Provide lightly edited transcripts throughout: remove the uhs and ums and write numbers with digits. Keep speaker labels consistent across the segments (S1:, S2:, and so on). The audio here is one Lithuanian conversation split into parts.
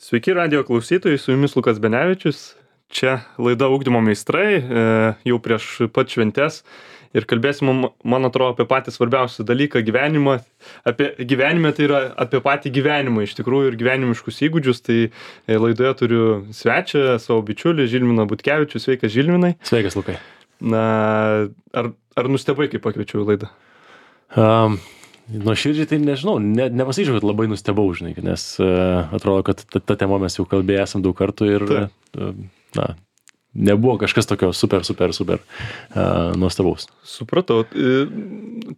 S1: Sveiki radijo klausytojai, su jumis Lukas Benevičius. Čia laida Ugdymo meistrai, jau prieš pat šventes. Ir kalbėsim, man atrodo, apie patį svarbiausią dalyką gyvenimą. Gyvenime tai yra apie patį gyvenimą iš tikrųjų ir gyvenimiškus įgūdžius. Tai laidoje turiu svečią, savo bičiulį Žilviną Butkevičių. Sveikas, Žilvinai.
S2: Sveikas, Lukai.
S1: Na, ar nustebai, kai pakviečiau į laidą?
S2: Nuoširdžiai tai nežinau, nepasakyčiau, kad labai nustebau, žinai, nes atrodo, kad ta tema mes jau kalbėję esam daug kartų ir nebuvo kažkas tokio super nuostabaus.
S1: Supratau.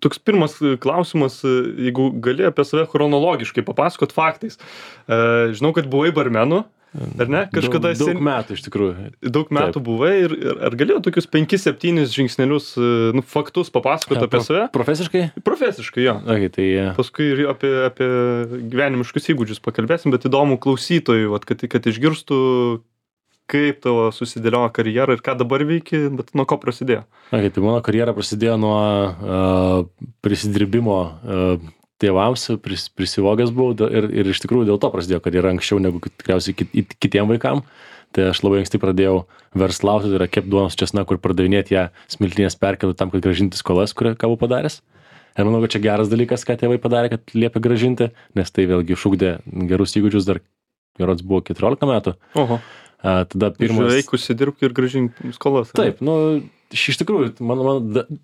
S1: Toks pirmas klausimas, jeigu gali apie save chronologiškai papasakot faktais. Žinau, kad buvai barmenu, ar ne? Kažkada
S2: daug metų iš tikrųjų.
S1: Daug metų
S2: Taip.
S1: buvai ir ar galėjau tokius 5-7 žingsnelius, faktus papasakot apie save?
S2: Profesiškai?
S1: Profesiškai, jo.
S2: Okay, tai,
S1: Paskui ir apie gyvenimiškus įgūdžius pakalbėsim, bet įdomu klausytojui, vat, kad išgirstų, kaip tavo susidėliojo karjera ir ką dabar veiki, bet nuo ko prasidėjo?
S2: Okay, tai mano karjera prasidėjo nuo prisidirbimo tėvams, prisivogęs buvau ir iš tikrųjų dėl to prasidėjo karjera anksčiau negu tikriausiai kitiem vaikam. Tai aš labai anksti pradėjau verslauti, tai yra kept duonos česnakų ir pardavinėti ją smiltynės perkėlų ką grąžinti skolas, ką buvau padaręs. Ir manau, kad čia geras dalykas, ką tėvai padarė, kad liepė grąžinti, nes tai vėlgi išugdė gerus įgūdžius, dar gerods buvo 14 metų.
S1: Oho.
S2: Tada pirmas...
S1: Žiūrėk, užsidirbk ir grąžink skolas.
S2: Taip, iš tikrųjų, man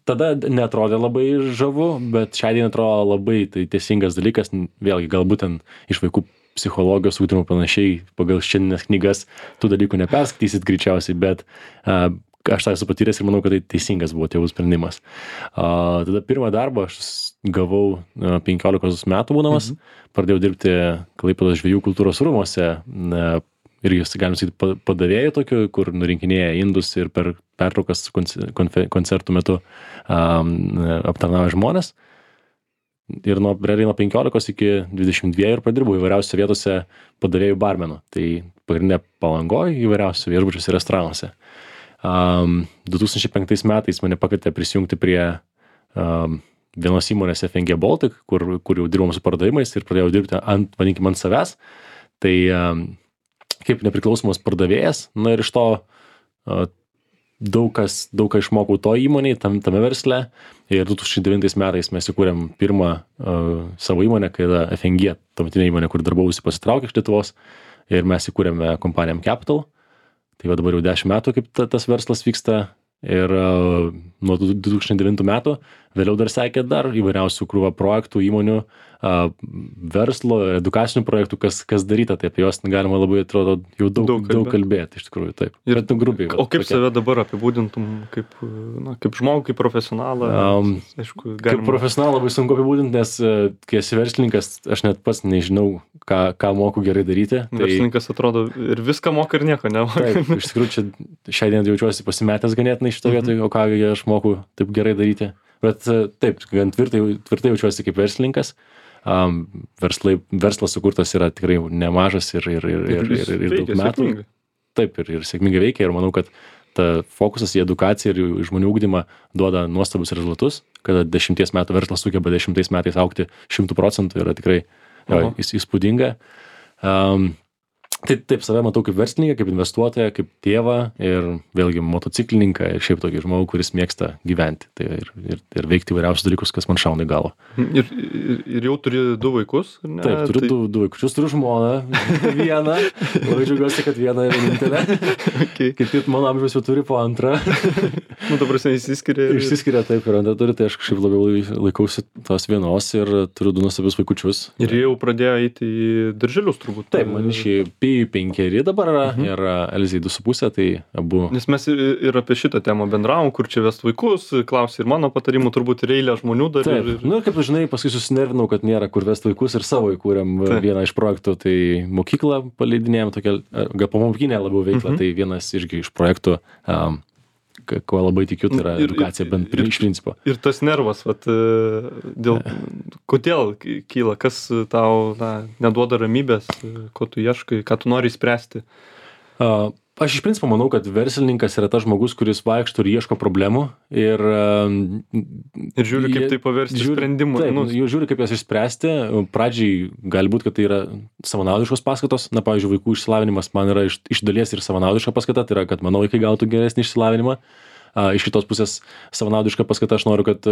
S2: tada netrodė labai žavu, bet šią dieną atrodo labai tai teisingas dalykas, vėlgi galbūt ten iš vaikų psichologijos ugdymo panašiai, pagal šiandienes knygas tų dalykų neperskaitysit greičiausiai, bet aš tą esu patyręs ir manau, kad tai teisingas buvo tėvų sprendimas. Tada pirmą darbą aš gavau 15 metų būdamas, pradėjau dirbti Klaipėdos žvejų kultūros rūmuose, irgi, galim sakyti, padavėjų tokių, kur nurinkinėja indus ir per pertraukas koncertų metu aptarnauja žmonės. Ir nuo 15 iki 22 ir padirbau įvairiausiose vietose padavėjų barmenų. Tai pagrindinė Palangoje, įvairiausiose viešbučiuose ir restoranuose. 2005 metais mane pakvietė prisijungti prie vienos įmonės FNG Baltic, kur jau dirbom su pardavimais ir pradėjau dirbti ant savęs. Tai kaip nepriklausomas pardavėjas, ir iš to daug ką išmokau to įmonėj, tame versle. Ir 2009 metais mes įkūrėm pirmą savo įmonę, kai yra FNG, tuometinė įmonė, kur darbausi, pasitraukė iš Lietuvos, ir mes įkūrėme kompaniją Capital. Tai dabar jau 10 metų, kaip tas verslas vyksta. Ir nuo 2009 metų vėliau dar sekė dar įvairiausių krūvą projektų, įmonių, verslo, edukacinių projektų, kas daryta, tai apie juos galima labai, atrodo, jau daug kalbėti, iš tikrųjų, taip.
S1: Ir
S2: grubiai.
S1: O kaip save dabar apibūdintum, kaip žmogų, kaip profesionalą? Aišku,
S2: kaip profesionalą labai sunku apibūdinti, nes kai esi verslininkas, aš net pats nežinau, ką moku gerai daryti.
S1: Verslininkas atrodo ir viską moka ir nieko nemoka.
S2: Taip, iš tikrųjų, čia šią dieną jaučiuosi pasimetęs ganėtinai šitą vietą, o ką aš moku taip gerai daryti. Bet taip, gan tvirtai jaučiuosi kaip verslininkas. Verslas sukurtas yra tikrai nemažas ir daug metų.
S1: Sėkmingai.
S2: Taip, ir sėkmingai veikia, ir manau, kad ta fokusas į edukaciją ir į žmonių ugdymą duoda nuostabus rezultatus, kada 10 metų verslas sugeba 10 metais augti 100%, yra tikrai įspūdinga. Tai taip, save matau kaip verslininką, kaip investuotoją, kaip tėvą ir vėlgi motociklininką ir šiaip tokį žmogų, kuris mėgsta gyventi ir veikti įvairiausius dalykus, kas man šauna į galvą.
S1: Ir jau turi 2 vaikus? Ne?
S2: Taip, turiu 2 vaikus, turiu žmoną, vieną, labai džiaugiuosi, kad vieną vienintelę.
S1: Okay.
S2: Kaip mano amžiaus jau turi po antrą.
S1: Ta prasme, išsiskiria.
S2: Išsiskiria, taip, ir antrą turi, tai aš kažkaip labiau laikausi tos vienos ir turiu 2 nuostabius vaikučius.
S1: Ir jau pradėjo eiti į darželius turbūt.
S2: Taip, man išėjai 5 dabar yra, ir Elzai 2,5, tai abu.
S1: Nes mes ir apie šitą temą bendravom, kur čia vest vaikus, klausė ir mano patarimų, turbūt ir eilė žmonių dar.
S2: Taip, kaip žinai, paskui susinervinau, kad nėra kur vest vaikus ir savo įkūrėm vieną iš projektų, tai mokyklą paleidinėjom tokią, gal pamokinę labiau veiklą, tai vienas irgi iš projektų, ko labai tikiu, tai yra edukacija bent iš principo.
S1: Ir tas nervas, kodėl kyla, kas tau neduoda ramybės, ko tu ieškai, ką tu nori spręsti?
S2: Aš iš principo manau, kad verslininkas yra tas žmogus, kuris vaikšto ir ieško problemų ir
S1: žiūri, kaip tai paversti sprendimu.
S2: Taip, jau žiūri, kaip jas išspręsti. Pradžiai gali būti, kad tai yra savanaudiškos paskatos. Na, pavyzdžiui, vaikų išsilavinimas man yra iš dalies ir savanaudiška paskata, tai yra, kad mano vaikai gautų geresnį išsilavinimą. Iš kitos pusės savanaudiška paskata, aš noriu, kad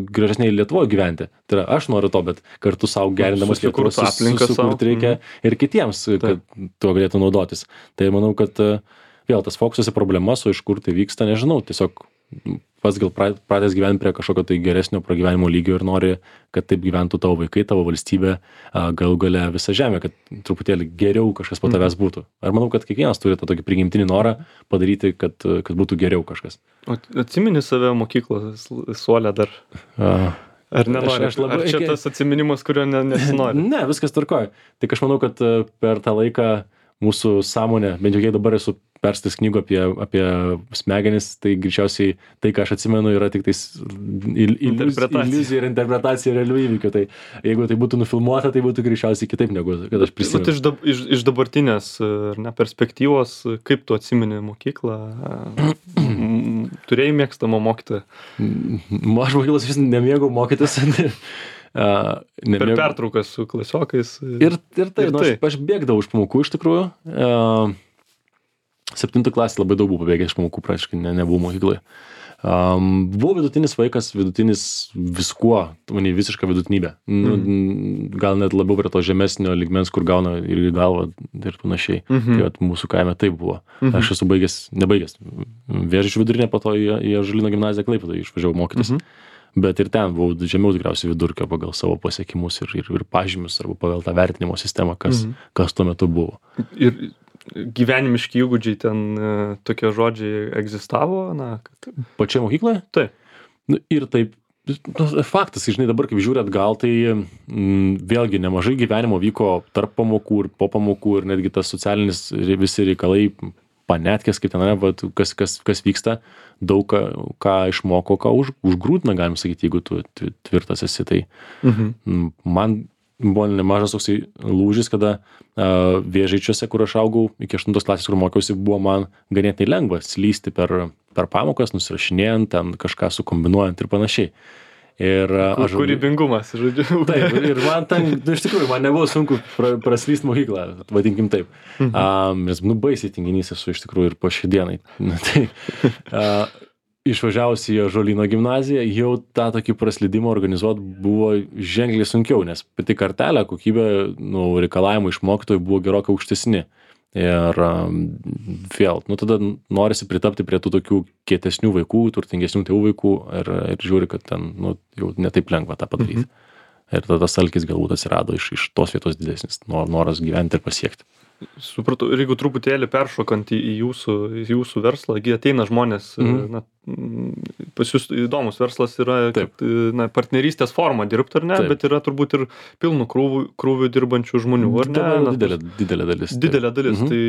S2: gražesniai Lietuvoje gyventi. Tai yra, aš noriu to, bet kartu savo gerindamas Lietuvos sukurti reikia ir kitiems, kad tuo galėtų naudotis. Tai manau, kad vėl tas fokusas į problemas, o iš kur tai vyksta, nežinau, tiesiog pats gal pradės gyventi prie kažkokio tai geresnio pragyvenimo lygio ir nori, kad taip gyventų tavo vaikai, tavo valstybė, galų gale visa žemė, kad truputėlį geriau kažkas po tavęs būtų. Ar manau, kad kiekvienas turi tą tokį prigimtinį norą padaryti, kad būtų geriau kažkas.
S1: O atsimeni save mokyklos suole dar? Ar nenori? Ar čia tas atsiminimas, kurio nesinori?
S2: Ne, viskas tvarkoja. Tik aš manau, kad per tą laiką mūsų sąmonė, bent jau kiek dabar esu perstais knygų apie smegenis, tai greičiausiai tai, ką aš atsimenu, yra tik tais iliuzija ir interpretacija realių įvykių. Tai jeigu tai būtų nufilmuota, tai būtų greičiausiai kitaip negu kad aš prisimenu.
S1: Iš dabartinės perspektyvos, kaip tu atsimeni mokyklą? Turėjai mėgstamą mokytoją?
S2: Aš mokyklos vis nemėgau mokytis.
S1: Per pertraukas su klasiokais.
S2: Ir tai. Aš bėgdavau iš pamokų iš tikrųjų. 7 klasė labai daug buvo pabėgęs iš pamokų, praktiškai nebuvau mokykloje. Buvau vidutinis vaikas, vidutinis viskuo, manai visiška vidutinybė. Gal net labiau prie to žemesnio lygmens, kur gauna ir į galvą ir panašiai. Tai vat, mūsų kaime taip buvo. Aš esu nebaigęs Vėžių vidurinę, po to į Ąžuolyno gimnaziją Klaipėdoje išvažiavau mokytis. Bet ir ten buvau žemiau tikriausiai vidurkio pagal savo pasiekimus ir pažymius arba pagal tą vertinimo sistemą, kas tuo metu buvo.
S1: Ir gyvenimiški įgūdžiai ten tokie žodžiai egzistavo?
S2: Pačioje mokykloje?
S1: Taip.
S2: Ir taip, faktas, žinai, dabar kaip žiūri atgal, tai vėlgi nemažai gyvenimo vyko tarp pamokų ir po pamokų ir netgi tas socialinis visi reikalai, panetkės, kaip ten, kas vyksta, daug ką išmoko, ką užgrūdina, galim sakyti, jeigu tu tvirtas esi. Tai man buvo nemažas toksai lūžis, kada Vėžaičiuose, kur aš augau, iki 8 klasės, kur mokiausi, buvo man ganėtinai lengva slysti per pamokas, nusirašinėjant, ten kažką sukombinuojant ir panašiai.
S1: Kūrybingumas, žodžiu.
S2: Taip, ir man ten, iš tikrųjų, man nebuvo sunku praslyst mokyklą, vadinkim taip. Nes, baisiai tinginys esu iš tikrųjų ir po šiai dienai. Išvažiavus į Ąžuolyno gimnaziją, jau tą tokį praslydimą organizuoti buvo ženkliai sunkiau, nes pati kartelė, kokybė, reikalavimai iš mokytojų buvo gerokai aukštesni. Ir vėl, tada norisi pritapti prie tų tokių kietesnių vaikų, turtingesnių tėvų vaikų ir žiūri, kad ten jau netaip lengva tą padaryti. Ir tada tas alkis galbūt atsirado iš tos vietos didesnis, noras gyventi ir pasiekti.
S1: Supratau, ir jeigu truputėlį peršokant į jūsų verslą, ateina žmonės, pas jūs įdomus verslas yra partnerystės forma dirbti, ar ne, bet yra turbūt ir pilnų krūvių dirbančių žmonių, ar ne?
S2: Didelė dalis.
S1: Didelė dalis, tai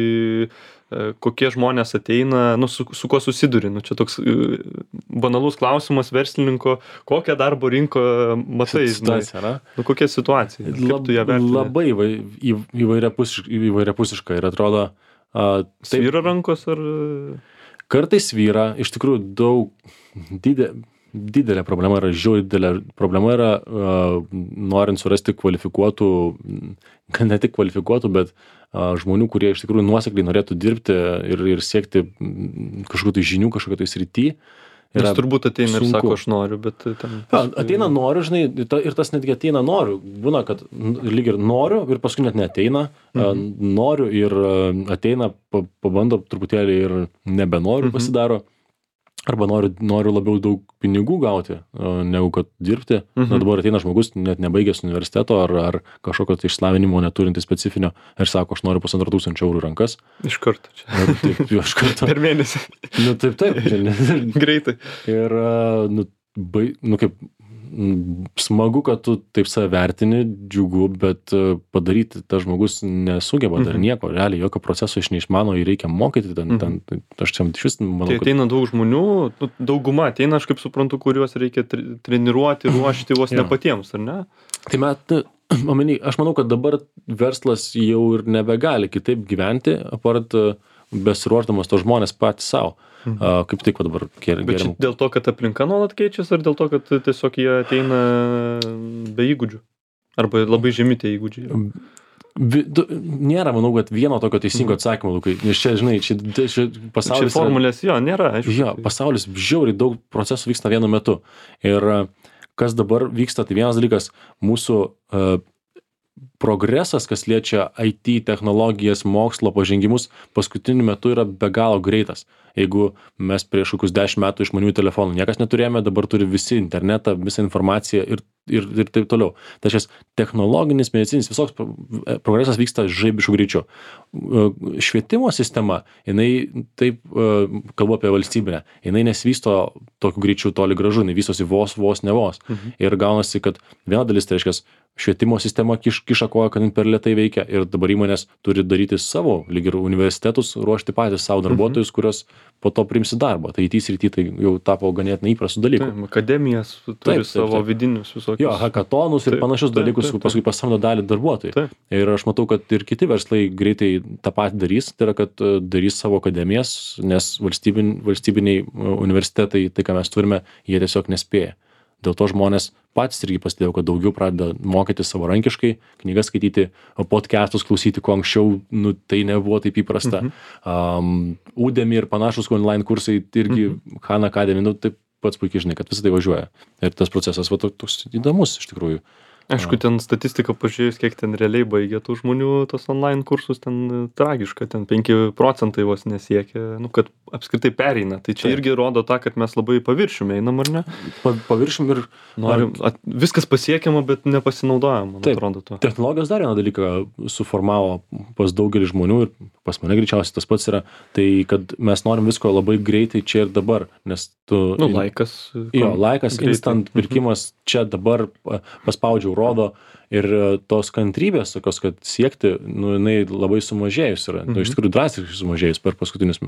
S1: kokie žmonės ateina, su kuo susiduri, čia toks banalus klausimas verslininko, kokią darbo rinką matai, kokia situacija, kaip tu ją vertini?
S2: Labai įvairiapusiška ir atrodo...
S1: Svyra rankos ar...
S2: Kartais svyra, iš tikrųjų didelė problema yra, problema yra norint surasti kvalifikuotų, ne tik kvalifikuotų, bet žmonių, kurie iš tikrųjų nuosekliai norėtų dirbti ir siekti kažkokių tai žinių, kažkokių tai srity.
S1: Nes turbūt ateina ir sako, aš noriu, bet ten...
S2: Ateina noriu, žinai, ir tas netgi ateina noriu. Būna, kad lyg ir noriu ir paskui net neateina. Noriu ir ateina, pabando truputėlį ir nebenoriu pasidaro. Arba noriu labiau daug pinigų gauti, negu kad dirbti. Dabar ateina žmogus, net nebaigęs universiteto ar kažkokio tai išslavinimo neturinti specifinio ir sako, aš noriu 1,5 eurų rankas.
S1: Iš karto čia.
S2: Taip, iš karto.
S1: Per mėnesį.
S2: Taip.
S1: Greitai.
S2: Ir, kaip smagu, kad tu taip save vertini, džiugu, bet padaryti tas žmogus nesugeba dar nieko, realiai jokio proceso iš neišmano, jį reikia mokyti, aš čia iš vis manau,
S1: tai ateina daug žmonių, dauguma ateina, aš kaip suprantu, kuriuos reikia treniruoti, ruošti vos ne patiems, ar ne?
S2: Tai aš manau, kad dabar verslas jau ir nebegali kitaip gyventi, apart besiruošdamas tos žmonės patys savo. Kaip tik dabar
S1: Bet čia dėl to, kad aplinka nuolat keičiasi, ar dėl to, kad tiesiog jie ateina be įgūdžių? Arba labai žemi tie įgūdžiai?
S2: Nėra, manau, kad vieno tokio teisingo atsakymo, Lukai. Nes čia, žinai, čia pasaulis...
S1: Čia formulės, jo, nėra, aišku.
S2: Jo, pasaulis žiauriai daug procesų vyksta vienu metu. Ir kas dabar vyksta, tai vienas dalykas, mūsų progresas, kas liečia IT, technologijas, mokslo pažengimus, paskutiniu metu yra be galo greitas. Jeigu mes prieš kokius 10 metų išmaniųjų telefonų niekas neturėjome, dabar turi visi internetą, visą informaciją ir taip toliau. Tačiau technologinis, medicinis, visoks progresas vyksta žaibiškų greičiu. Švietimo sistema, jinai, taip kalbu apie valstybinę, jinai nesvysto tokiu greičiu toli gražu, jinai vystosi vos ne vos. Ir gaunasi, kad viena dalis, tai reiškia, švietimo sistema kiša koją, kad per lėtai veikia ir dabar įmonės turi daryti savo, lyg ir universitetus, ruošti patys savo darbuotojus, kurios po to priimsi darbą. Tai IT srity tai jau tapo ganėtinai įprastų dalykų.
S1: Akademijas turi savo vidinius visokius.
S2: Jo, hackathonus ir panašius dalykus, paskui pasamdo dalį darbuotojų. Ir aš matau, kad ir kiti verslai greitai tą patį darys, tai yra, kad darys savo akademijas, nes valstybiniai universitetai, tai ką mes turime, jie tiesiog nespėja. Dėl to žmonės patys irgi pastebėjo, kad daugiau pradeda mokyti savarankiškai, knygas skaityti, podcastus klausyti, ko anksčiau tai nebuvo taip įprasta. Udemy ir panašus online kursai irgi Khan Academy, taip pats puikiai žinai, kad visą tai važiuoja. Ir tas procesas toks įdomus iš tikrųjų.
S1: Aišku, ten statistika pažiūrėjus, kiek ten realiai baigia tų žmonių tos online kursus, ten tragiška, ten 5% vos nesiekia, kad apskritai pereina. Tai čia irgi rodo tą, kad mes labai paviršiumi einam, ar ne?
S2: Paviršiumi ir...
S1: Norim, viskas pasiekiama, bet nepasinaudojama, man atrodo to.
S2: Technologijos dar vieną dalyką suformavo pas daugelį žmonių ir pas mane greičiausiai tas pats yra, tai kad mes norim visko labai greitai čia ir dabar, nes tu...
S1: Laikas.
S2: Jo, laikas, greitai. Instant pirkimas čia dabar paspaudžiau rodo ir tos kantrybės tokios, kad siekti, jinai labai sumažėjus yra. Iš tikrųjų drastiškai sumažėjus per paskutinius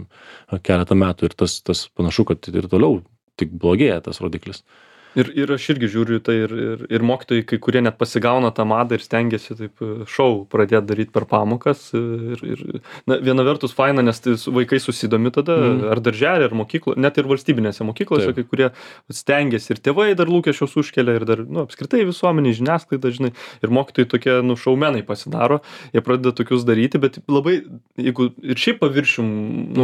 S2: keletą metų ir tas panašu, kad ir toliau tik blogėja tas rodiklis.
S1: Ir aš irgi žiūriu tai ir mokytojai, kai kurie net pasigauna tą madą ir stengiasi taip šou pradėti daryti per pamokas. Na, viena vertus faina, nes tai vaikai susidomi tada, ar darželį, ar mokyklą, net ir valstybinėse mokyklose, kai kurie stengiasi ir tėvai dar lūkesčius užkelia, ir dar, apskritai visuomenė, žiniasklaida, žinai, ir mokytojai tokie, šaumenai pasidaro, jie pradeda tokius daryti, bet labai, jeigu ir šiaip paviršium,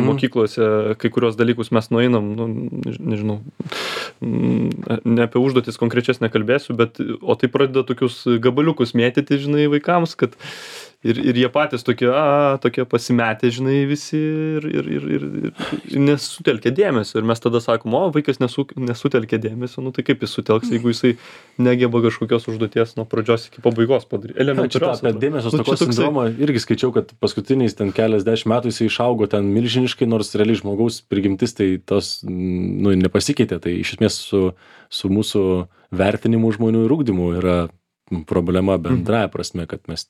S1: mokyklose kai kurios dalykus mes nueinam, nežinau, ne apie užduotis konkrečias nekalbėsiu, bet o tai pradeda tokius gabaliukus mėtyti, žinai, vaikams, kad ir jie patys tokie pasimetę, žinai, visi ir nesutelkia dėmesio. Ir mes tada sakom, vaikas nesutelkia dėmesio, tai kaip jis sutelks, jeigu jisai negeba kažkokios užduoties nuo pradžios iki pabaigos padaryti.
S2: Elementariausia. Apie dėmesio stokos sindromą irgi skaičiau, kad paskutiniais ten keliasdešimt metų jisai išaugo ten milžiniškai, nors realiai žmogaus prigimtis tai tos nepasikeitė. Tai iš esmės su mūsų vertinimu žmonių ir ugdymu yra problema bendraja prasme, kad mes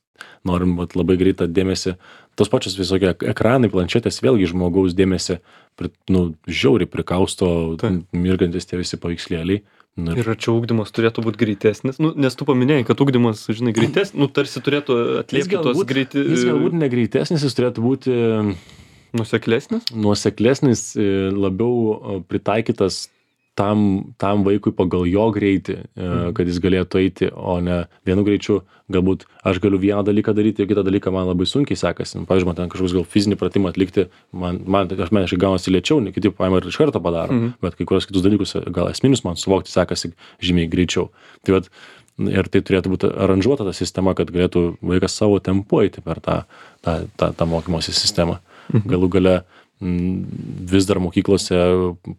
S2: norim labai greitą dėmesį. Tos pačios visokie ekranai, planšetės vėlgi žmogaus dėmesį žiauriai prikausto, mirgantis tie visi paveikslėliai.
S1: Ir čia ugdymas turėtų būti greitesnis, nes tu paminėjai, kad ugdymas, žinai, greitesnis, tarsi turėtų atliepti tos greitį.
S2: Jis galbūt negreitesnis, jis turėtų būti
S1: nuoseklesnis?
S2: Nuoseklesnis, labiau pritaikytas tam vaikui pagal jo greitį, kad jis galėtų eiti, o ne vienu greičiu. Galbūt aš galiu vieną dalyką daryti, ir kitą dalyką man labai sunkiai sekasi. Pavyzdžiui, man ten kažkoks gal fizinį pratimą atlikti, man asmeniškai gaunasi lėčiau, kiti paima ir iš karto padaro, bet kai kurios kitus dalykus, gal esminius man suvokti sekasi žymiai greičiau. Tai vat, ir tai turėtų būti aranžuota ta sistema, kad galėtų vaikas savo tempu eiti per tą mokymosi sistemą. Galų gale vis dar mokyklose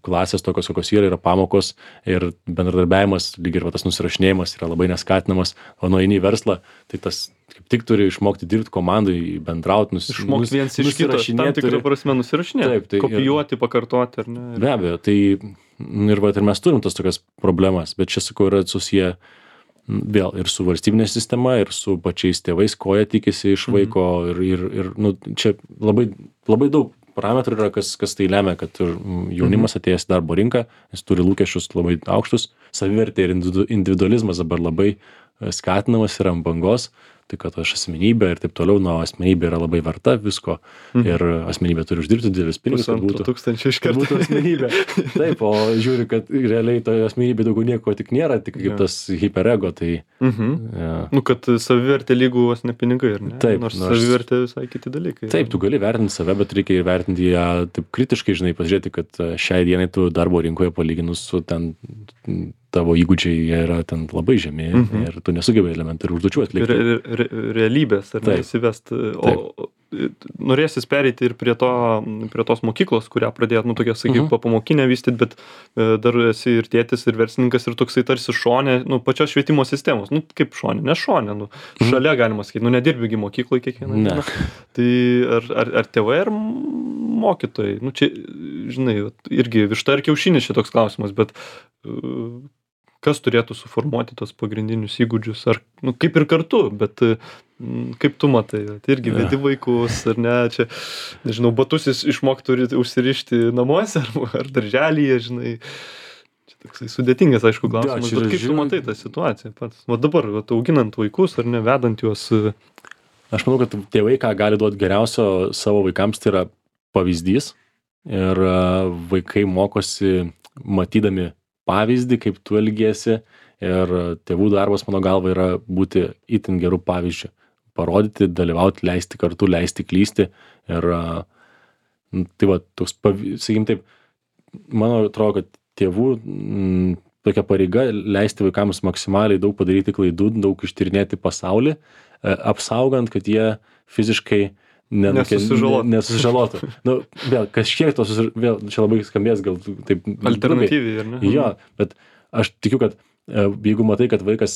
S2: klasės tokios, kokios yra pamokos ir bendradarbiavimas, lyg ir tas nusirašinėjimas yra labai neskatinamas, o nueini į verslą, tai tas kaip tik turi išmokti dirbti komandai, bendrauti,
S1: išmokti viens iš kito, tam tikrą prasme nusirašinėti, kopijuoti, pakartoti, ar ne?
S2: Be abejo, tai ir mes turim tas tokias problemas, bet čia, sakau, yra susiję vėl ir su valstybinė sistema, ir su pačiais tėvais, ko jie tikisi iš vaiko, ir čia labai daug parametrų yra, kas tai lemia, kad jaunimas atėjęs į darbo rinką, jis turi lūkesčius labai aukštus, savivertė ir individualizmas dabar labai skatinamas yra ant bangos, tai kad aš asmenybė ir taip toliau, nuo asmenybė yra labai verta visko ir asmenybė turi uždirbti didelis pinigus, kad būtų,
S1: 200 iš karto.
S2: būtų asmenybė. Taip, o žiūri, kad realiai toje asmenybė daugiau nieko tik nėra, tik kaip tas hiperego, tai...
S1: Nu, kad savivertė lygų vos ne pinigai, ar ne?
S2: Taip,
S1: nors savivertė visai kiti dalykai.
S2: Taip, tu gali vertinti save, bet reikia įvertinti ją taip kritiškai, žinai, pasižiūrėti, kad šiai dienai tu darbo rinkoje palyginus su ten tavo įgūdžiai jie yra ten labai žemi ir tu nesugebai elementarių užduočių atlikti.
S1: Ir realybės, ar ne, įsivest. O norėsis pereiti ir prie tos mokyklos, kurią pradėjot, nu, tokia, sakyk, pamokinę vystyti, bet dar esi ir tėtis, ir verslininkas, ir toksai tarsi šonė, nu, pačios švietimo sistemos. Nu, kaip šonė, ne šonė, nu, šalia galima sakyti, nu, nedirbigi mokykloje kiekvieną dieną. Tai ar tėvai, ar mokytojai? Nu, čia, žinai, irgi višta ar kiaušinis šitoks klausimas, bet kas turėtų suformuoti tos pagrindinius įgūdžius, ar, nu, kaip ir kartu, bet kaip tu matai, tai irgi vedi vaikus, ar ne, čia, nežinau, batus išmok turi užsirišti namuose, ar darželyje, žinai, čia toksai sudėtingas, aišku, klausimas, bet kaip tu matai tą situaciją pats, va dabar, va, auginant vaikus, ar ne, vedant juos.
S2: Aš manau, kad tėvai, ką gali duoti geriausio savo vaikams, tai yra pavyzdys ir vaikai mokosi matydami pavyzdį, kaip tu elgiesi ir tėvų darbas, mano galva, yra būti itin gerų pavyzdžių. Parodyti, dalyvauti, leisti kartu, leisti klysti ir tai va, toks, sakykim taip, mano atrodo, kad tėvų tokia pareiga leisti vaikams maksimaliai daug padaryti klaidų, daug ištyrinėti pasaulį, apsaugant, kad jie fiziškai nesusižalotų. Nu, vėl, kažkiek tos, vėl, čia labai skambės, gal taip...
S1: Alternatyviai, ar ne?
S2: Jo, bet aš tikiu, kad jeigu matai, kad vaikas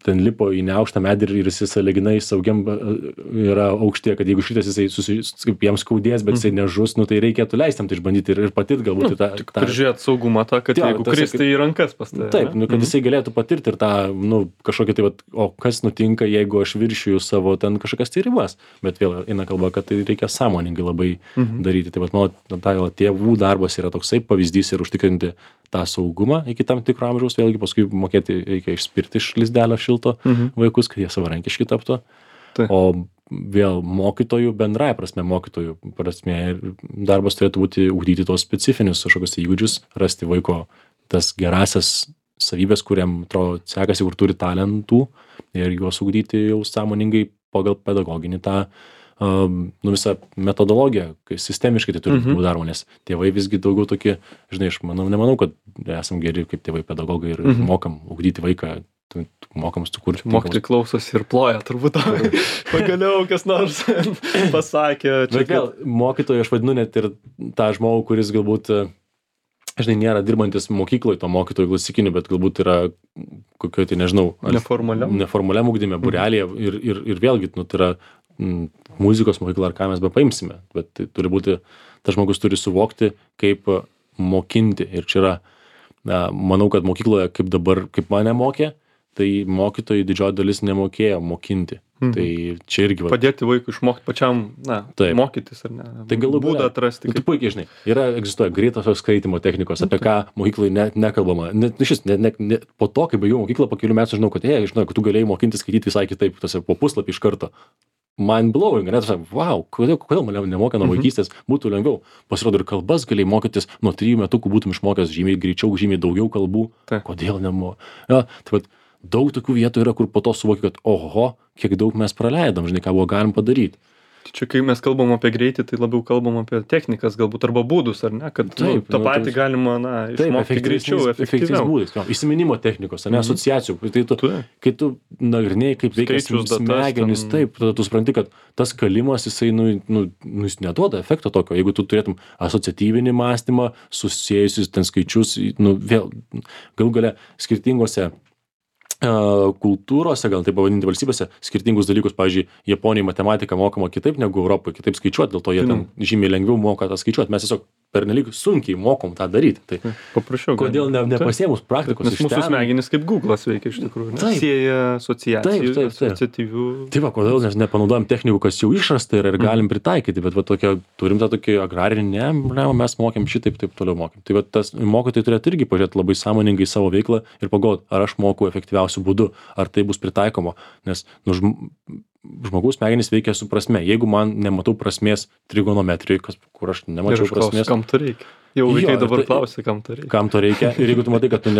S2: ten lipo į neaukštą medį ir jis sąlyginai saugiam yra aukštė, kad jeigu šitas jisai kaip jam skaudės, bet jisai nežus, nu tai reikėtų leisti jam tai išbandyti ir patirti galbūt tą...
S1: Prižiūrėti saugumą tą, kad jeigu kristai į rankas pas tave.
S2: Taip, nu, kad jisai galėtų patirti ir tą, nu, kažkokį tai, o kas nutinka, jeigu aš viršiju savo ten kažkokias tai ribas. Bet vėl eina kalba, kad tai reikia sąmoningai labai daryti. Tai vat, mano tėvų darbas yra toksai pavyzdys ir užtikrinti tą saugumą iki tam tikro amžiaus, vėlgi paskui mokėti reikia išspirti iš lizdelio šilto vaikus, kad jie savarankiški taptų. O vėl mokytojų, bendrai prasme mokytojų prasme, darbas turėtų būti ugdyti tos specifinius kažkokius įgūdžius, rasti vaiko tas gerasias savybės, kuriam atrodo sekasi, kur turi talentų ir juos ugdyti jau sąmoningai pagal pedagoginį tą nu, visą metodologiją, kai sistemiškai tai turi būti daroma, nes tėvai visgi daugiau tokie, žinai, aš nemanau, kad esam geri kaip tėvai pedagogai ir mokam ugdyti vaiką, mokam sukurti.
S1: Mokytojai klausosi ir ploja, turbūt pagaliau kas nors pasakė.
S2: Bet vėl, mokytojai aš vadinu net ir tą žmogų, kuris galbūt, žinai, nėra dirbantis mokykloje, to mokytojų klasikinių, bet galbūt yra kokio, tai nežinau, neformaliam ugdyme, būrelėje ir vėlgi, nu, tai yra muzikos mokykla ar ką mes be paimsime, bet tai turi būti, tas žmogus turi suvokti, kaip mokinti. Ir čia yra, manau, kad mokykloje, kaip dabar, kaip mane mokė, tai mokytojai didžioji dalis nemokėjo mokinti. Tai čia irgi...
S1: Padėti vaikui išmokti pačiam, mokytis, ar ne?
S2: Tai galų būdą atrasti. Tu puikiai žinai, egzistuoja greitosios skaitymo technikos, apie ką mokyklai nekalbama. Po to, kai baigiau mokyklą, po kelių metų žinau, kad kad tu galėjai mokinti skaityti visai kitaip, po puslapį iš karto. Mind blowing, net wow, kodėl mane nemokė nuo vaikystės, būtų lengviau. Pasirodo, ir kalbas galėjai mokytis, nuo 3 metukų būtum išmokęs žymiai greičiau, žymiai daugiau kalbų. Kodėl nemokė? Ja, tai daug tokių vietų yra, kur po to suvoki, kad oho, kiek daug mes praleidom, žinai, ką buvo galim padaryti.
S1: Čia, kai mes kalbam apie greitį, tai labiau kalbam apie technikas, galbūt arba būdus, ar ne, kad tą patį galima, išmokti greičiau, efektyviau.
S2: Būdais, įsiminimo technikos, ar ne, asociacijų. Tai kai tu nagrinėjai, kaip veikia smegenys, taip, tada tu supranti, kad tas kalimas, jisai, jis neduoda efekto tokio. Jeigu tu turėtum asociatyvinį mąstymą, susiejusius ten skaičius, vėl, galų gale skirtingose kultūrose, gal taip pavadinti valstybėse, skirtingus dalykus, pavyzdžiui, Japonijai matematika mokama kitaip negu Europoje, kitaip skaičiuoti, dėl to jie ten žymiai lengviau moka tą skaičiuoti. Mes tiesiog pernelyg sunkiai mokom tą daryti. Tai
S1: Paprašiau.
S2: kodėl nepasiėmus praktikos
S1: Nes mūsų smegenys kaip Google'as veikia iš tikrųjų. Sieja asociacijų, asociatyvių.
S2: Tai va, kodėl mes nepanaudojam technikų, kas jau išrasta ir galim pritaikyti, bet va turim tą tokį agrarinį, mes mokėm šitaip, taip toliau mokėm. Tai va tas mokytojai turėtų irgi pažiūrėti labai sąmoningai savo veiklą ir pagalvoti, ar aš moku efektyviausiu būdu, ar tai bus pritaikoma. Nes žmogaus smegenys veikia su prasme. Jeigu man nematau prasmės trigonometrijai, kur aš nemačiau prasmės.
S1: Kam to reikia? Jau vaikai dabar klausia, kam to reikia.
S2: Kam to reikia. Ir jeigu tu matai, kad tu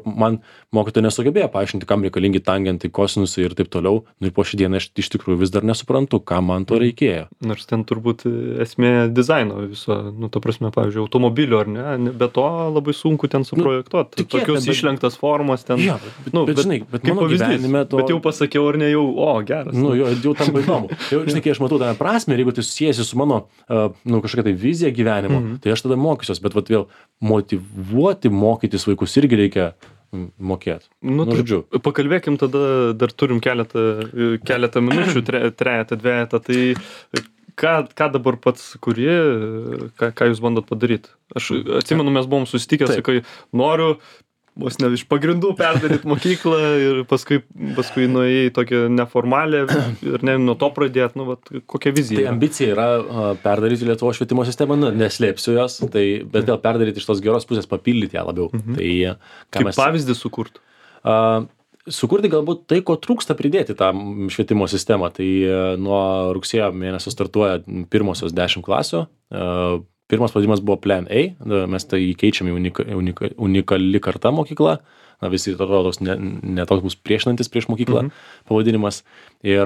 S2: man mokytojai nesugebėjo paaiškinti, kam reikalingi tangentai, kosinusai ir taip toliau, nu ir po šį dieną aš iš tikrųjų vis dar nesuprantu, kam man to reikėjo.
S1: Nors ten turbūt esmė dizaino viso, ta prasme, pavyzdžiui, automobilio ar ne, be to labai sunku ten suprojektuoti. Tokios išlenktas formas ten.
S2: Ja, bet žinai, bet mano gyvenime to.
S1: Bet jau pasakiau, ar ne jau, geras.
S2: Jau tam įdomu. Jau, žinai, kai aš matau tą prasmę, ir jeigu tai susijęsi su mano, kažkokia tai vizija gyvenimo, tai aš tada mokysiuos. Bet vat vėl motyvuoti mokytis vaikus irgi reikia mokėti. Žodžiu.
S1: Pakalbėkim tada, dar turim keletą minučių, trejetą, dvejetą, tai ką dabar pats kuri, ką jūs bandot padaryti? Aš atsimenu, mes buvom susitikę, sakai, noriu vos ne iš pagrindų perdaryti mokyklą ir paskui nuėjai tokią neformalę ir nuo to pradėt, kokia vizija?
S2: Tai ambicija yra perdaryti Lietuvos švietimo sistemą, neslėpsiu jos, bet vėl perdaryti iš tos geros pusės, papildyti ją labiau. Tai,
S1: kaip pavyzdį sukurt?
S2: Sukurti galbūt tai, ko trūksta pridėti tą švietimo sistemą. Tai nuo rugsėjo mėnesio startuoja pirmosios 10 klasių. Pirmas pavadinimas buvo Plan A, mes tai keičiame unikali karta mokykla, visi atrodo toks netoks bus priešinantis prieš mokyklą pavadinimas. Ir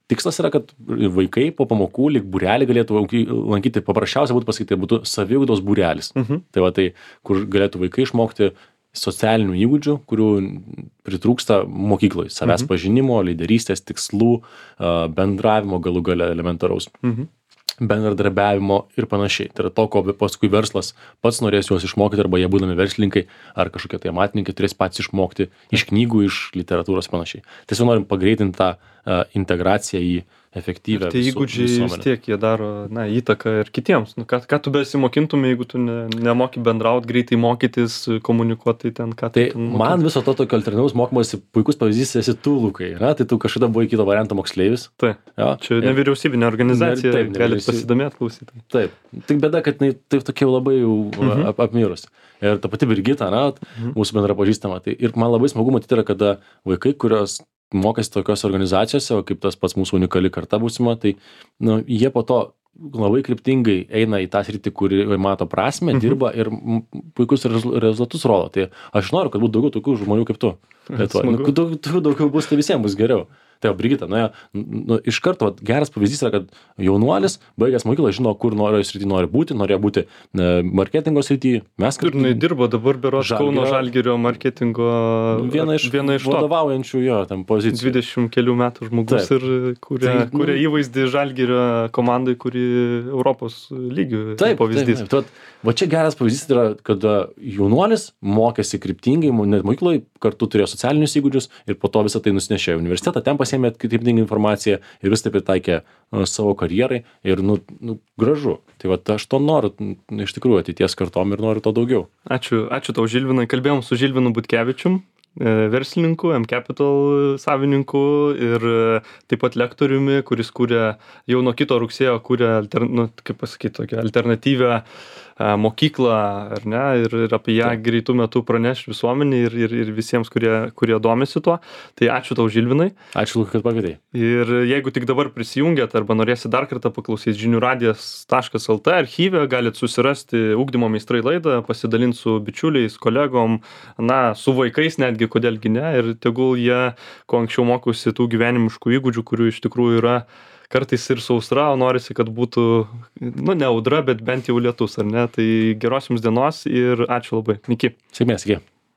S2: tikslas yra, kad vaikai po pamokų lyg būrelį galėtų lankyti, paprasčiausia būtų pasakyti, tai būtų saviugdos būrelis. Tai va tai, kur galėtų vaikai išmokti socialinių įgūdžių, kurių pritrūksta mokykloje, savęs pažinimo, lyderystės, tikslų, bendravimo galų gale elementaraus. Bendradarbiavimo ir panašiai. Tai yra to, ko paskui verslas pats norės juos išmokyti, arba jie būdami verslininkai ar kažkokie tai amatininkai turės patys išmokti iš knygų, iš literatūros panašiai. Tiesiog norim pagreitinti tą integraciją į efektyvę
S1: visuomenę. Tai įgūdžiai vis tiek jie daro įtaką ir kitiems. Ką tu besimokintum, jeigu tu nemoki bendrauti, greitai mokytis, komunikuoti ten, ką
S2: tai man viso to tokio alternatyvaus mokymosi puikus pavyzdys esi tu, Lukai. Tai tu kažkada buvai kito varianto moksleivis.
S1: Taip. Čia nevyriausybinė organizacija, galite pasidomėti, klausyti.
S2: Taip. Tik bėda, kad tai tokia labai jau apmirus. Ir ta pati Brigita, mūsų bendra pažįstama. Ir man labai smagu matyti yra, kada vaikai, kurios mokėsi tokios organizacijose, kaip tas pats mūsų unikali karta būsima, tai jie po to labai kryptingai eina į tą sritį, kuri mato prasmę, dirba ir puikus rezultatus rodo. Tai aš noriu, kad būtų daugiau tokių žmonių kaip tu. Daugiau bus, tai visiems bus geriau. Tai Brigita, iš karto geras pavyzdys yra, kad jaunuolis, baigęs mokyklą, žino, kur norėjo būti, norėjo būti marketingo srityje. Mes
S1: ir dirbo dabar berods Kauno Žalgirio marketingo
S2: viena iš vadovaujančių jo tam pozicijų.
S1: 20 kelių metų žmogus ir kuria įvaizdį Žalgirio komandai, kuri Europos lygių pavyzdys.
S2: Taip. Va čia geras pavyzdys yra, kad jaunuolis mokėsi kryptingai, net mokykloje kartu turėjo socialinius įgūdžius ir po to visą tai nusinešė į universitetą, ten pasiėmė kryptingą informaciją ir vis taip pritaikė savo karjerai ir gražu. Tai va aš to noriu iš tikrųjų ateities kartom ir noriu to daugiau.
S1: Ačiū tau, Žilvinai. Kalbėjom su Žilvinu Butkevičium, verslininku, M-Capital savininku ir taip pat lektoriumi, kuris kūrė jau nuo kito rugsėjo tokią alternatyvią mokyklą, ar ne, ir apie ją greitų metų praneš visuomenį ir visiems, kurie domisi tuo. Tai ačiū tau, Žilvinai.
S2: Ačiū, Lukai, kad pakvietei.
S1: Ir jeigu tik dabar prisijungėt arba norėsit dar kartą paklausyti žiniųradijas.lt archyve, galit susirasti Ugdymo meistrai laidą, pasidalinti su bičiuliais, kolegom, su vaikais netgi, kodėlgi ne, ir tegul jie, kuo anksčiau mokosi tų gyvenimiškų įgūdžių, kurių iš tikrųjų yra kartais ir sausra, o norisi, kad būtų, ne audra, bet bent jau lietus, ar ne? Tai geros jums dienos ir ačiū labai. Iki.
S2: Sėkmės, iki.